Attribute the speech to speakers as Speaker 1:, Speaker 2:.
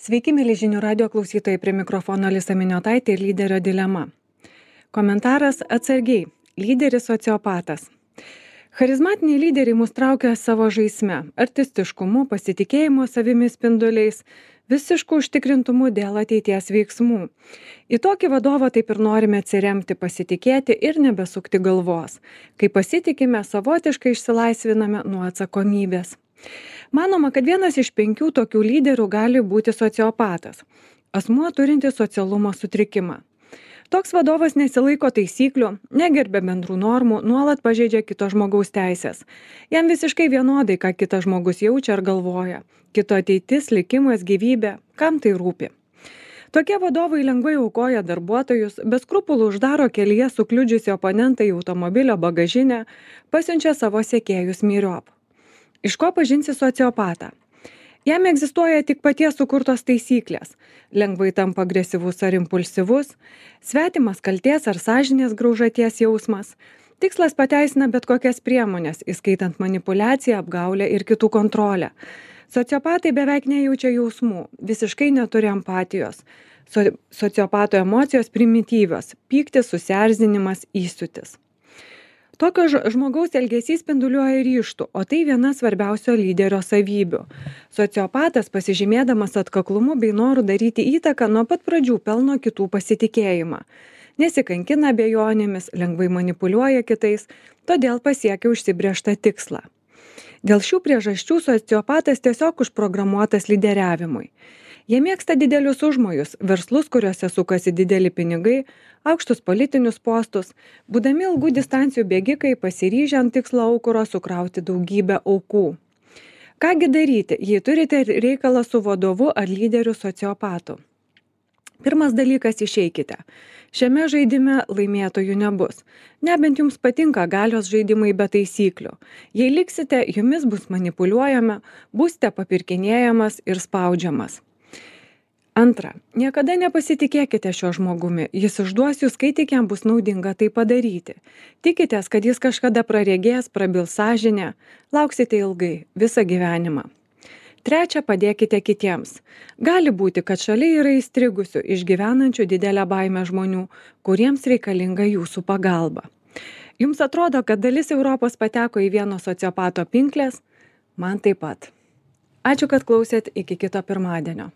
Speaker 1: Sveiki, mėly žinių radio klausytojai, prie mikrofono Alisa Miniotaitė ir lyderio dilema. Komentaras atsargiai. Lyderis sociopatas. Charizmatiniai lyderiai mus traukia savo žaisme, artistiškumu, pasitikėjimu savimi spinduliais, visišku užtikrintumu dėl ateities veiksmų. Į tokį vadovą taip ir norime atsiremti, pasitikėti ir nebesukti galvos. Kai pasitikime, savotiškai išsilaisviname nuo atsakomybės. Manoma, kad 1 iš 5 tokių lyderių gali būti sociopatas. Asmuo turintis socialumo sutrikimą. Toks vadovas nesilaiko taisyklių, negerbia bendrų normų, nuolat pažeidžia kito žmogaus teisės. Jam visiškai vienodai, ką kitas žmogus jaučia ar galvoja. Kito ateitis, likimas, gyvybė, kam tai rūpi. Tokie vadovai lengvai aukoja darbuotojus, be skrupulų uždaro kelyje sukliudžiusi oponentą į automobilio bagažinę, pasiunčia savo sekėjus myriop. Iš ko pažinsi sociopatą? Jam egzistuoja tik paties sukurtos taisyklės. Lengvai tampa agresyvus ar impulsyvus, svetimas kaltės ar sąžinės graužaties jausmas. Tikslas pateisina bet kokias priemonės, įskaitant manipuliaciją, apgaulę ir kitų kontrolę. Sociopatai beveik nejaučia jausmų, visiškai neturi empatijos. Sociopato emocijos primityvios – pyktis, susierzinimas, įsiūtis. Tokio žmogaus elgesys spinduliuoja ryžtų, o tai viena svarbiausio lyderio savybių. Sociopatas, pasižymėdamas atkaklumu bei noru daryti įtaką, nuo pat pradžių pelno kitų pasitikėjimą. Nesikankina abejonėmis, lengvai manipuliuoja kitais, todėl pasiekia užsibrėžtą tikslą. Dėl šių priežasčių sociopatas tiesiog užprogramuotas lyderiavimui. Jie mėgsta didelius užmojus, verslus, kuriuose sukasi dideli pinigai, aukštus politinius postus, būdami ilgų distancijų bėgikai, pasiryžę ant tikslo aukuro sukrauti daugybę aukų. Kągi daryti, jei turite reikalą su vadovu ar lyderiu sociopatu? Pirmas dalykas – išeikite. Šiame žaidime laimėtojų nebus. Nebent jums patinka galios žaidimai be taisyklių. Jei liksite, jumis bus manipuliuojama, būsite papirkinėjamas ir spaudžiamas. Antra, niekada nepasitikėkite šio žmogumi, jis išduos jūs, kai tik jam bus naudinga tai padaryti. Tikitės, kad jis kažkada praregės, prabils sąžinę, lauksite ilgai, visą gyvenimą. Trečia, padėkite kitiems. Gali būti, kad šalia yra įstrigusių, išgyvenančių didelę baimę žmonių, kuriems reikalinga jūsų pagalba. Jums atrodo, kad dalis Europos pateko į vieno sociopato pinkles? Man taip pat. Ačiū, kad klausėt, iki kito pirmadienio.